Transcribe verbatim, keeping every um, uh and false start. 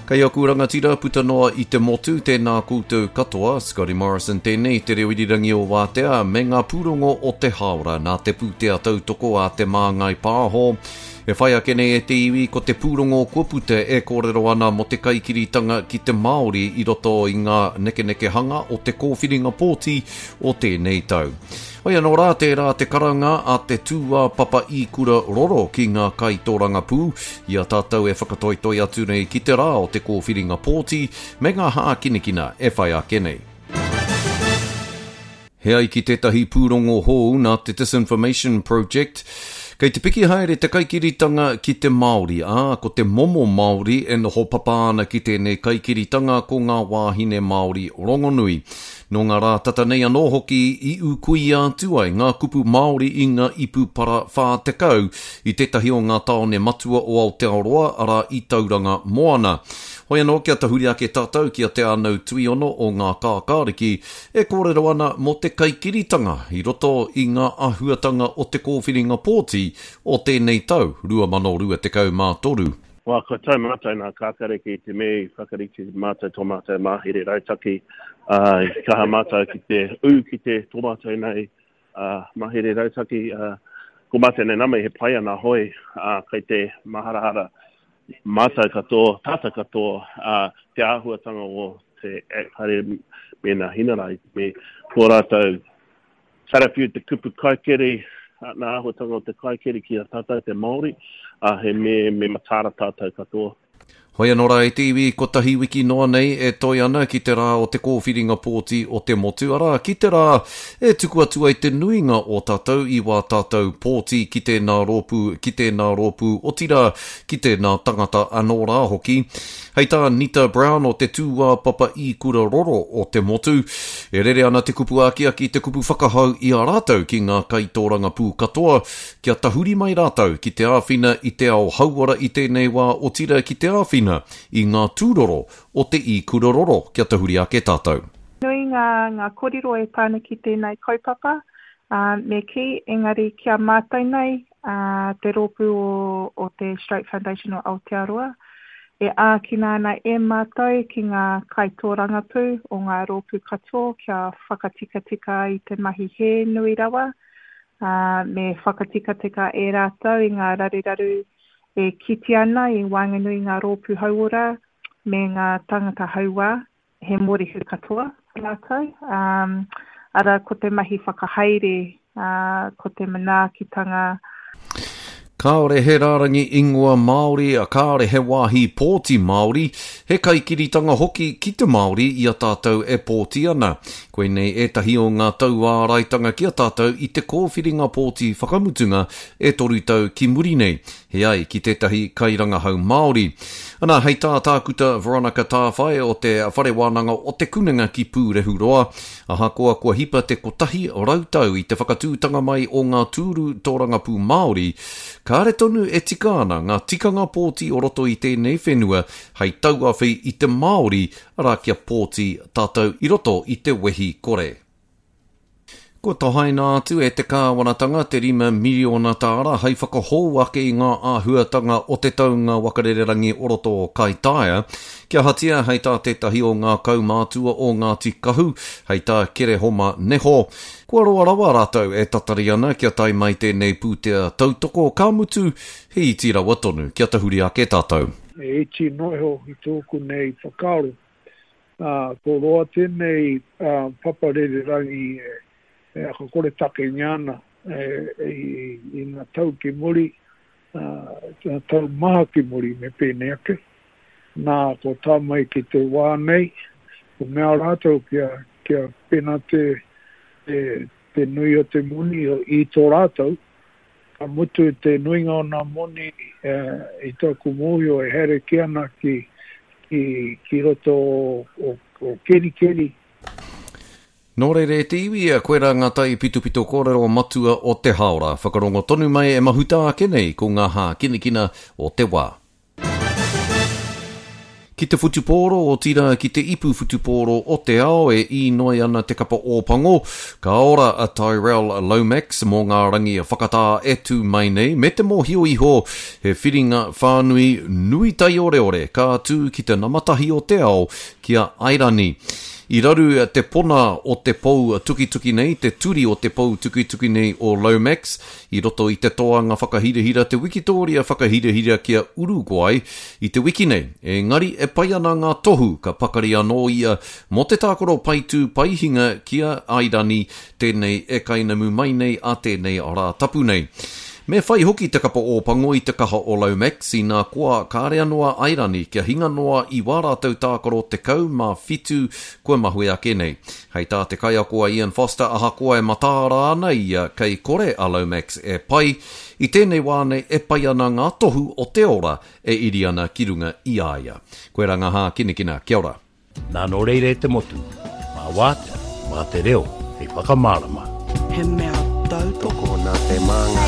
Kei aku rangatira puta noa i te motu, tēnā koutou katoa, Scotty Morrison tēnei, te reo irirangi o Wātea, me ngā pūrongo o te hāora nā te pūtea tautoko a Te Māngai Pāho. E whai ake nei e te iwi ko te pūrongo kua puta e kōrero ana mō te kaikiritanga ki te Māori i roto i ngā nekenekehanga o te kōwhiringa pōti o tēnei tau. Hoi anō rā tērā te karanga a te tūāpapa ikura roro ki ngā kaitōrangapū i a tātou e whakatoitoi atu nei ki te rā o te kōwhiringa pōti me ngā hākinakina e whai ake nei. He ai ki tētahi pūrongo hou nā te Disinformation Project, kei te piki haere te kaikiritanga ki te Māori, ā, ko te momo Māori e noho papa ana ki tēnei kaikiritanga ko ngā wāhine Māori rongonui. Nō ngā rā tata nei anō hoki i ūkuia atu ai ngā kupu Māori i ngā ipu para whā tekau i tētahi o ngā tāone matua o Aotearoa, arā i Tauranga Moana. Hoi anō kia tahuri ake tātou ki a Te Ānau Tuiono o Ngā Kākāriki e kōrero ana mō te kaikiritanga i roto i ngā āhuatanga o te kōwhiringa pōti o tēnei tau rua mano rua tekau mā toru. Wā, kua tau mātou nā Kākāriki i te mea i whakarite mātou tō mātou mahere rautaki, ā, i kaha mātou ki te ū ki te tō mātou nei ā, mahere rautaki, ā, ko mātou nei nama he pai ana hoi, ā, kei te maharahara mātou katoa, tātou katoa, ā, te āhuatanga o te Act haere me nā Hinara i te mea ko rātou karawhiu te kupu kaikiri, nā āhuatanga o te kaikiri ki a tātou te Māori, ā, he me, me mataara tātou katoa. Hoi anō rā e te iwi, kotahi wiki noa nei e toe ana ki te rā o te kōwhiringa pōti o te motu, arā, ki te rā e tuku atu ai te nuinga o tātou i wā tātou pōti ki tēnā rōpū, ki tēnā rōpū, otirā, ki tēnā tangata anō rā hoki. Hei tā Nita Brown o te tūāpapa ikura roro o te motu, e rere ana te kupu akiaki, te kupu whakahau i a rātou ki ngā kaitōrangapū katoa, kia tahuri mai rātou ki te āwhina i te ao hauora i tēnei wā, otirā ki te āwhina i ngā tūroro o te ikura roro kia tahuri ake tātou. Nui ngā, ngā kōrero e pā ana ki tēnei kaupapa, ā, me kī, engari ki a mātou nei, ā, te rōpū o, o te Stroke Foundation o Aotearoa, e ākina ana e mātou ki ngā kaitōrangapū o ngā rōpū katoa kia whakatikatika i te mahi hē nui rawa, ā, me whakatikatika e rātou i ngā raruraru e kite ana i waenganui i ngā rōpū hauora me ngā tāngata hauā, he mōrehu katoa rātou. Um, arā, ko te mahi whakahaere, uh, ko te manaakitanga. Kāore he rārangi ingoa Māori, kāore he wāhi pōti Māori, he kaikiritanga hoki ki te Māori i a tātou e pōti ana. Koinei ētahi o ngā tauāraitanga ki a tātou i te kōwhiringa pōti whakamutunga e toru tau ki muri nei, he ai ki tētahi kairangahau Māori. Ana, hei tā Tākuta Veronica Tāwhai o te Whare Wānanga o Te Kunenga ki Pūrehuroa, ahakoa kua hipa te kotahi rau tau i te whakatūtanga mai o ngā tūru tōrangapū Māori, kāre tonu e tika ana ngā tikanga pōti o roto i tēnei whenua hei tauawhi i te Māori, arā kia pōti tātou i roto i te wehi kore. Kua tohaina atu e te kāwanatanga te rima miriona tāra hei whakahou ake i ngā āhuatanga o te taunga wakarererangi o roto o Kaitaia, kia ahatia hei tā tētahi o ngā kaumātua o Ngāti Kahu, hei tā Kerehoma Neho. Kua roa rawa rātou e tatari ana kia tae mai tēnei pūtea tautoko, ka mutu, he iti rawa tonu, kia tahuri ake tātou. He iti noa iho i tōku nei whakaaro. Ā, ko roa tēnei papa rererangi e e whakakoretakengia ana i ngā tau ki muri, ngā tau maha ki muri me pēnei ake. Nā, ko tā mai ki te wā nei, ko mea rātou kia, kia pēnā te, te, te nui o te moni i tō rātou, ka mutu te nuinga o nā moni i tōku mōhio e haere kē ana ki, ki, ki roto o, o, o Kerikeri. Nō reira e te iwi, koirā ngā taipitopito kōrero matua o te hāora. Whakarongo tonu mai e mahuta ake nei ko ngā hākinakina o te wā. Ki te whutupōro, otirā ki te ipu whutupōro o te ao e īnoi ana te kapa Ōpango, ka ora a Tyrell Lomax mō ngā rangi whakatā e tū mai nei, me te mōhio iho he whiringa whānui nui taioreore ka tū ki te nama tahi o te ao ki a Airani. I raru te pona o te pou tukituki nei, te turi o te pou tukituki nei o Lomax, i roto i te toanga whakahirahira, te wikitōria whakahirahira ki a Uruguay i te wiki nei. Engari e pai ana ngā tohu ka pakari anō ia mō te tākaro paitū paihinga ki a Airani, tēnei e kainamu mai nei a tēnei rā tapu nei. Me whai hoki te kapa Ōpango i te kaha o Lomax, inā koa kāre anō a Airani kia hinga noa i wā rātou tākaro tekau mā whitu kua mahue ake nei. Hei tā te kaiako a Ian Foster, ahakoa e mataara ana ia kei kore a Lomax e pai, i tēnei wā nei e pai ana ngā tohu o te ora e iri ana ki runga i a ia. Koirā ngā hākinakina, kia ora. Nā nō reira e te motu, mā wātea, mā te reo, hei whakamārama. He mea tautoko Tokona te māngai.